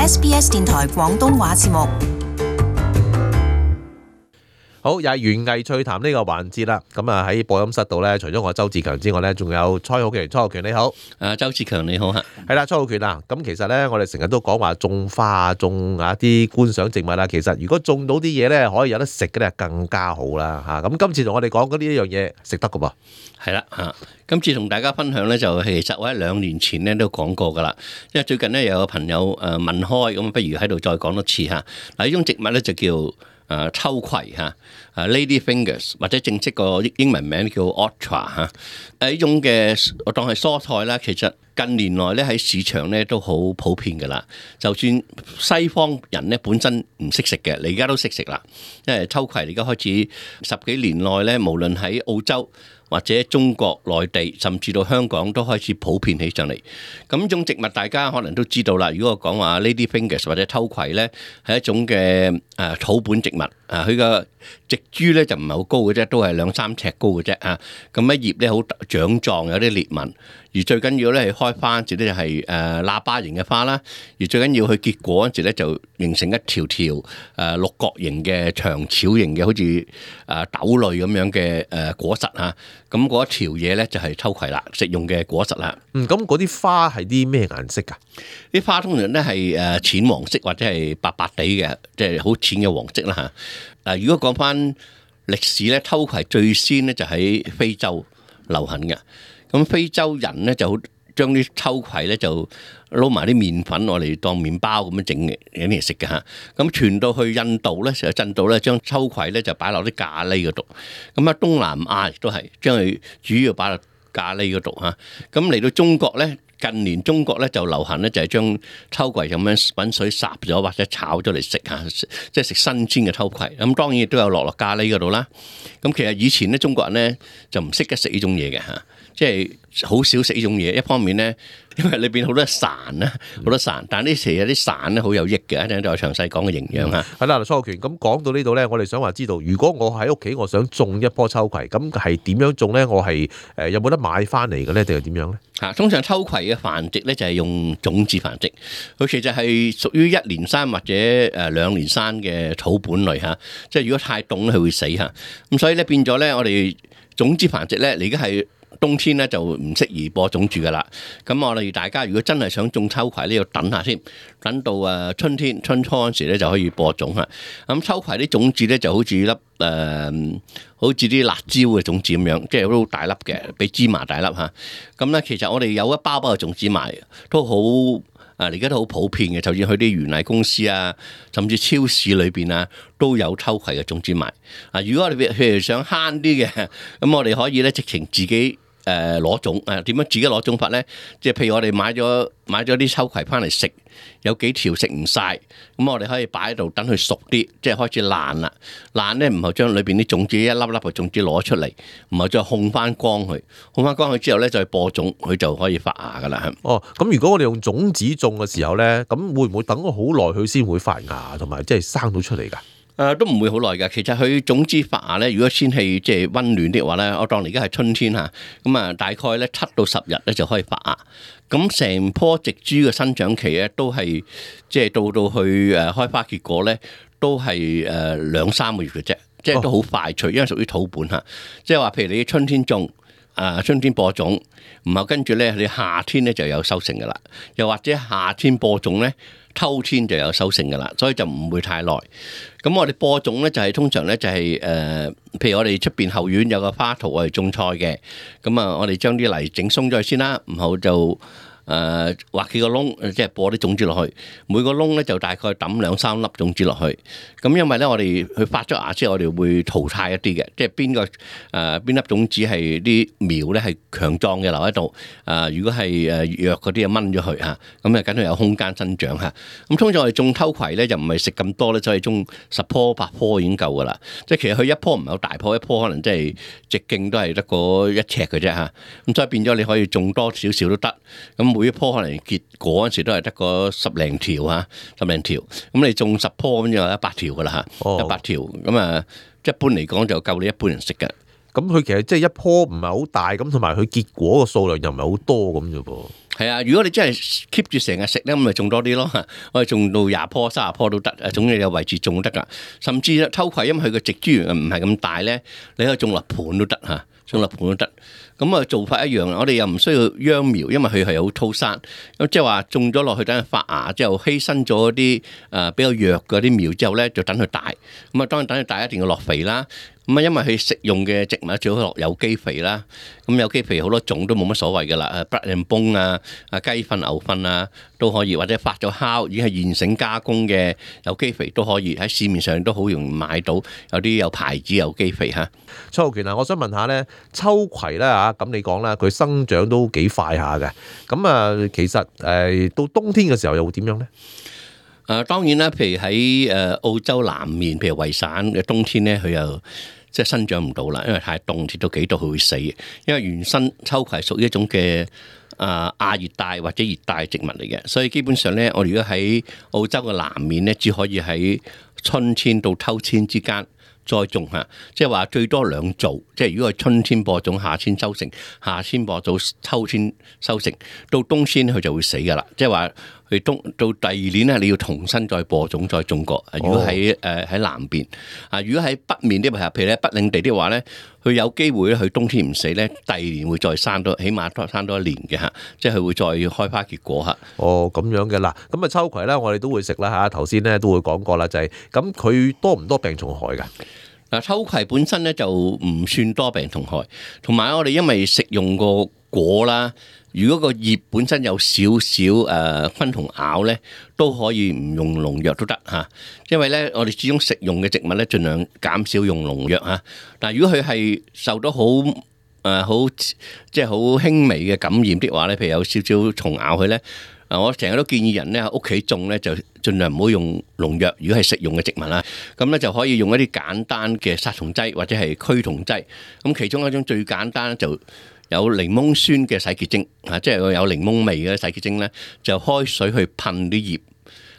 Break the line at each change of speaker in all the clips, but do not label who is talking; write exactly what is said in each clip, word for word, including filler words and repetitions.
S B S 電台廣東話節目。
好，又係園藝趣談呢個環節啦。咁啊喺播音室度咧，除咗我周志強之外咧，仲有蔡浩權。蔡浩權你好。
誒，周志強你好嚇。
係啦，蔡浩權啊。咁其實咧，我哋成日都講話種花啊，種啊啲觀賞植物啊。其實如果種到啲嘢咧，可以有得食嘅咧，更加好啦嚇。咁今次同我哋講嗰呢一樣嘢食得㗎噃。
係啦嚇，今次同大家分享咧，就其實我喺兩年前咧都講過㗎啦。因為最近咧有個朋友誒問開，咁不如喺度再講多次嚇。嗱，呢種植物咧就叫誒秋葵嚇，誒 Lady Fingers 或者正式個英文名叫 Orchard 嚇。誒呢種嘅我當係蔬菜啦，其實近年來咧喺市場咧都好普遍㗎啦。就算西方人咧本身唔識食嘅，你而家都識食啦。因為秋葵而家開始十幾年內咧，無論喺澳洲或者中國內地，甚至到香港都開始普遍起上嚟。咁呢種植物大家可能都知道啦。如果我講話 Lady Fingers 或者秋葵咧，係一種嘅誒草本植物。啊，佢個植株咧就唔係好高嘅啫，都係兩三尺高嘅啫啊。咁一葉咧好長壯，有啲裂紋。而最緊要咧係開花嗰時咧就係誒喇叭形嘅花啦。而最緊要佢結果嗰時咧就形成一條條誒六角形嘅長條形嘅，好似誒豆類咁樣嘅誒果實嚇。咁嗰一條嘢咧就係秋葵啦，食用嘅果實啦。
嗯，咁嗰啲花係啲咩顏色㗎？
啲花通常咧係誒淺黃色或者係白白地嘅，即係好淺嘅黃色啦嚇。嗱，如果講翻歷史咧，秋葵最先咧就喺非洲流行嘅。咁非洲人咧就好將啲秋葵咧就撈埋啲麵粉，我哋當麵包咁樣整嘅嚟食嘅嚇。咁傳到去印度咧，成日印度咧將秋葵咧就擺落啲咖喱嗰度。咁啊東南亞亦都係將佢主要擺落咖喱嗰度嚇。咁嚟到中國咧。近年中國咧就流行咧就係將秋葵咁樣滾水烚咗或者炒咗嚟食嚇，即係食新鮮嘅秋葵。咁當然亦都有落落咖喱嗰度啦。咁其實以前咧中國人咧就唔識得食呢種嘢嘅嚇，即係好少食呢種嘢。一方面咧，因為裏邊好多潺啦，好多潺，但係呢時有啲潺咧好有益嘅，一陣再詳細講嘅營養嚇。
係啦，蔡浩權，咁講到呢度咧，我哋想話知道，如果我喺屋企我想種一棵秋葵，咁係點樣種咧？我係誒有冇得買翻嚟嘅咧，定係點樣咧？
嚇，通常秋葵嘅繁殖咧就係用種子繁殖，佢其實係屬於一年生或者誒兩年生嘅草本類嚇，即係如果太凍咧佢會死嚇，咁所以咧變咗咧我哋種子繁殖咧，你而家係冬天咧就唔適宜播種住噶啦。咁我哋大家如果真係想種秋葵咧，要等下先，等到誒春天春初嗰時咧就可以播種嚇。咁秋葵啲種子咧就好似粒誒、呃，好似啲辣椒嘅種子咁樣，即係好大粒嘅，比芝麻大粒嚇。咁咧其實我哋有一包包嘅種子賣，都好啊，而家都好普遍嘅。就算去啲園藝公司啊，甚至超市裏邊啊，都有秋葵嘅種子賣。啊，如果我哋譬如想慳啲嘅，咁我哋可以咧直情自己。誒攞種誒點樣自己攞種法咧？即係譬如我哋買咗買咗啲秋葵翻嚟食，有幾條食唔晒，咁我哋可以擺喺度等佢熟啲，即係開始爛啦。爛咧唔係將裏邊啲種子一粒粒嘅種子攞出嚟，唔係再烘翻光佢，烘翻光佢之後咧再播種，佢就可以發芽噶啦。
哦，咁如果我哋用種子種嘅時候咧，咁會唔會等咗好耐佢先會發芽同埋即係生到出嚟㗎？
誒、呃、都唔會好耐㗎，其實佢種子發芽咧，如果天氣即係溫暖啲嘅話咧，我當而家係春天嚇，咁啊大概咧七到十日咧就可以發芽。咁成棵植株嘅生長期咧都係即係到到去誒開花結果咧，都係誒兩三個月嘅啫，即係都好快脆，因為屬於土本嚇。即係話譬如你春天種，啊春天播種，然後跟住咧你夏天咧就有收成㗎啦，又或者夏天播種咧。秋天就有收成㗎啦，所以就唔會太耐。咁我哋播種咧就係、是、通常咧就係、是、誒、呃，譬如我哋出邊後院有個花槽我哋種菜嘅，咁啊我哋將啲泥整鬆咗先啦，然後就。誒挖幾個窿，即係播啲種子落去。每個窿咧就大概抌兩三粒種子落去。咁因為咧，我哋佢發咗芽之後，我哋會淘汰一啲嘅，即係邊個誒邊粒種子係啲苗咧係強壯嘅留喺度。誒如果係誒弱嗰啲就掹咗佢嚇，咁啊梗係有空間生長嚇。咁通常我哋種秋葵咧就唔係食咁多咧，所以種十棵八棵已經夠噶啦。即係其實佢一棵唔係好大棵，一棵可能即係直徑都係得個一尺嘅啫嚇。咁所以變咗你可以種多少少都得。咁每一棵可能結果嗰陣時都係得個十零條嚇，十零條。咁你種十棵咁就一百條噶啦嚇，一百條咁啊，一般嚟講就夠你一般人食嘅。
咁佢其實即係一棵唔係好大，咁同埋佢結果個數量又唔係好多咁啫噃。
係啊，如果你真係 keep 住成日食咧，咁咪種多啲咯。我哋種到廿棵、三十棵都得，誒總之有位置種得㗎。甚至秋葵，因為佢個植株園唔係咁大咧，你可以種落盤都得嚇，種落盤都得。咁啊做法一樣，我哋又唔需要秧苗，因為佢係好粗生。咁即係話種咗落去等佢發芽之後，犧牲咗啲誒比較弱嗰啲苗之後咧，就等佢大。咁啊當然等佢大一定要落肥啦。咁啊，因為佢食用嘅植物最好落有機肥啦。咁有機肥好多種都冇乜所謂㗎啦，誒 blood and bone 啊、啊雞糞、牛糞啊都可以，或者發咗酵已經係現成加工嘅有機肥都可以，喺市面上都好容易買到，有啲有牌子有機肥嚇。
蔡浩權啊，我想問下咧，秋葵咧嚇，咁你講啦，佢生長都幾快下嘅。咁啊，其實誒到冬天嘅時候又會點樣咧？
誒、呃、當然啦，譬如喺誒澳洲南面，譬如維省嘅冬天咧，佢又即係生長唔到啦，因為太凍，跌到幾度佢會死嘅。因為原生秋葵係屬於一種嘅啊亞熱帶或者熱帶植物嚟嘅，所以基本上咧，我哋如果喺澳洲嘅南面咧，只可以喺春天到秋天之間栽種嚇，即係話最多兩造。即係如果係春天播種，夏天收成；夏天播種，秋天收成。到冬天佢就會死㗎啦。即係話佢冬到第二年咧，你要重新再播種再種過。如果喺誒喺南邊啊，如果喺北面啲譬如咧北領地啲話咧，佢有機會咧，佢冬天唔死咧，第二年會再生多，起碼多生多一年嘅嚇，即係佢會再開花結果嚇。
哦，咁樣嘅啦。咁啊秋葵咧，我哋都會食啦嚇。頭先咧都會講過啦，就係咁佢多唔多病蟲害㗎？
嗱，秋葵本身咧就唔算多病蟲害，同埋我哋因為食用個果啦，如果個葉本身有少少誒昆蟲咬咧，都可以唔用農藥都得嚇。因為咧，我哋始終食用嘅植物咧，盡量減少用農藥嚇。但係如果佢係受到好誒好即係好輕微嘅感染的話咧，譬如有少少蟲咬佢咧。啊！我成日都建議人咧喺屋企種咧，就盡量唔好用農藥。如果係食用嘅植物啦，咁咧就可以用一啲簡單嘅殺蟲劑或者係驅蟲劑。咁其中一種最簡單就有檸檬酸嘅洗潔精啊，即係有檸檬味嘅洗潔精咧，就開水去噴啲葉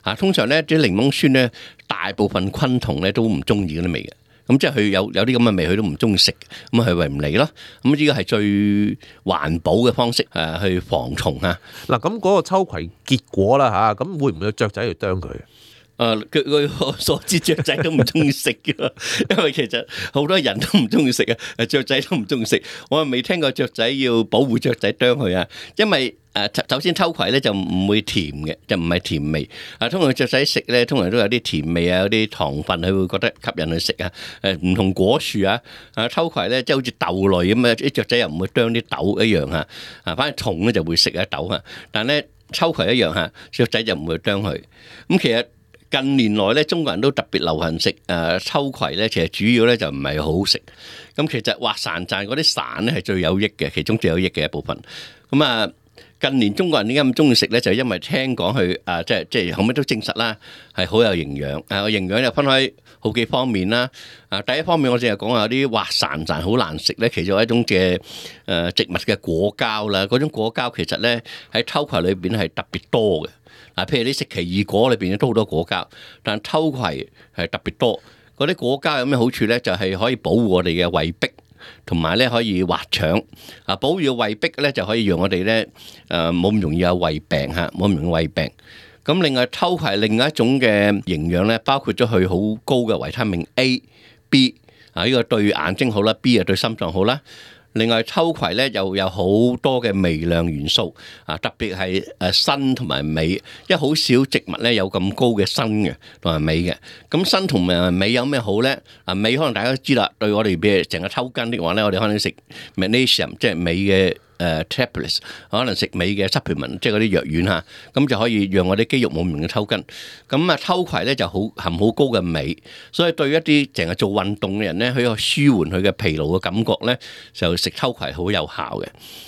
啊。通常咧啲檸檬酸咧，大部分昆蟲咧都唔中意嗰啲味嘅。咁即係佢有有啲咁嘅味，佢都唔中意食，咁佢為唔嚟咯。咁呢個係最環保嘅方式誒，去防蟲啊。
嗱，咁嗰個秋葵結果啦嚇，咁會唔會有雀仔去啄佢？
誒，據據我所知，雀仔都唔中意食嘅，因為其實好多人都唔中意食啊，誒雀仔都唔中意食。我未聽過雀仔要保護雀仔啄佢啊，因為誒首先秋葵咧就唔會甜嘅，就唔係甜味。啊，通常雀仔食咧，通常都有啲甜味啊，有啲糖分，佢會覺得吸引佢食啊。誒唔同果樹啊，啊秋葵咧即係好似豆類咁啊，啲雀仔又唔會啄啲豆一樣嚇。啊，反正蟲咧就會食一豆嚇，但係咧秋葵一樣嚇，雀仔就唔會啄佢。咁其實近年來咧，中國人都特別流行食誒秋葵咧，其實主要咧就唔係好食。咁其實滑潺潺嗰啲潺咧係最有益嘅，其中最有益嘅一部分。咁啊，近年中國人點解咁中意食咧？就係因為聽講佢啊，即係即係後尾都證實啦，係好有營養。啊，個營養又分開好幾方面啦。啊，第一方面我淨係講下有啲滑潺潺好難食咧，其中一種嘅誒植物嘅果膠啦。嗰種果膠其實咧喺秋葵裏邊係特別多嘅。嗱，譬如你食奇異果裏邊都好多果膠，但秋葵係特別多。嗰啲果膠有咩好處咧？就係可以保護我哋嘅胃壁，同埋咧可以滑腸。啊，保護胃壁咧就可以讓我哋咧誒冇咁容易有胃病嚇，冇咁容易胃病。咁另外秋葵另外一種嘅營養咧，包括咗佢好高嘅維他命 A、B 啊，呢個對眼睛好啦 ，B 啊對心臟好啦。另外秋葵咧又有好多嘅微量元素啊，特別係誒鋅同埋鎂，因為好少植物咧有咁高嘅鋅嘅同埋鎂嘅。咁鋅同埋鎂有咩好咧？啊，鎂可能大家都知啦，對我哋譬如成日抽筋的話咧，我哋可能食 magnesium 即係鎂嘅。誒 tablets 可能食鎂嘅 supplement，即係嗰啲藥丸嚇，咁就可以讓我啲肌肉冇咁容易抽筋。咁啊，秋葵咧就好含好高嘅鎂，所以對一啲成日做運動嘅人咧，佢個舒緩佢嘅疲勞嘅感覺咧，就食秋葵好有效嘅。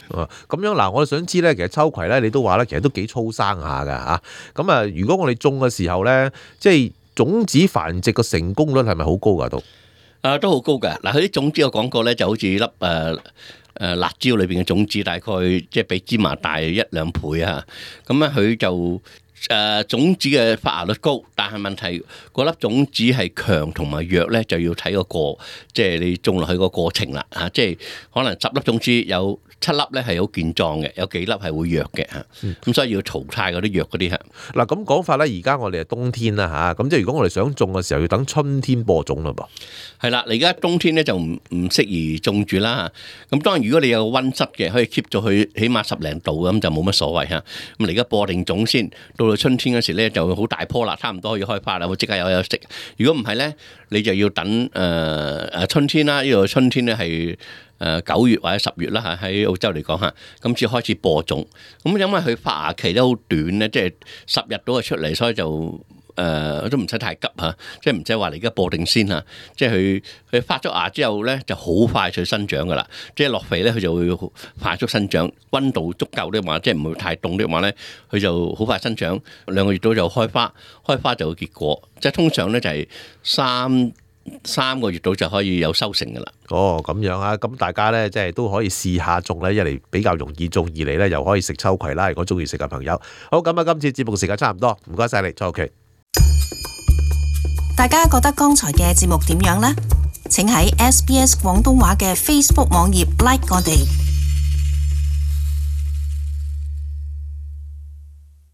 哦，咁樣嗱，我想知咧，其實秋葵咧，你都話咧，其實都幾粗生下㗎嚇。咁啊，如果我哋種嘅時候咧，即係種子繁殖個成功率係咪好高㗎都？
啊，都好高㗎。嗱，佢啲種子我講過咧，就好似粒誒。呃誒辣椒裏邊嘅種子大概即係比芝麻大一兩倍啊！咁咧佢就誒種子嘅發芽率高，但係問題嗰粒種子係強同埋弱咧，就要睇個過，即係你種落去個過程啦嚇。即係可能十粒種子有七粒咧係好健壯嘅，有幾粒係會弱嘅嚇。咁、嗯、所以要淘汰嗰啲弱嗰啲嚇。
嗱咁講法咧，而家我哋係冬天啦嚇，咁即係如果我哋想種嘅時候，要等春天播種啦噃。係
啦，你而家冬天咧就唔唔適宜種住啦。咁當然如果你有個溫室嘅，可以 keep 咗佢起碼十零度咁就冇乜所謂嚇。咁你而家播定種先，到到春天嗰時咧就好大棵啦，差唔多可以開花啦，會即刻有有食。如果唔係咧，你就要等誒誒、呃、春天啦。呢度春天咧係誒九月或者十月啦嚇，喺澳洲嚟講嚇，咁先開始播種。咁因為佢發芽期都好短咧，即係十日到就出嚟，所以就。誒、呃、都唔使太急嚇，即係唔使話你而家播定先嚇，即係佢佢發咗芽之後咧就好快脆生長噶啦，即係落肥咧佢就會快速生長，溫度足夠的話，即係唔會太凍的話咧，佢就好快生長，兩個月到就開花，開花就會結果，即係通常咧就係三三個月到就可以有收成噶啦。
哦，咁樣啊，咁大家咧即係都可以試下種咧，一嚟比較容易種，二嚟咧又可以食秋葵啦。如果中意食嘅朋友，好咁啊，今次節目時間差唔多，唔該晒你，蔡浩權。
大家覺得剛才嘅節目點樣呢？請喺 S B S 廣東話嘅 Facebook 網頁 like 我哋。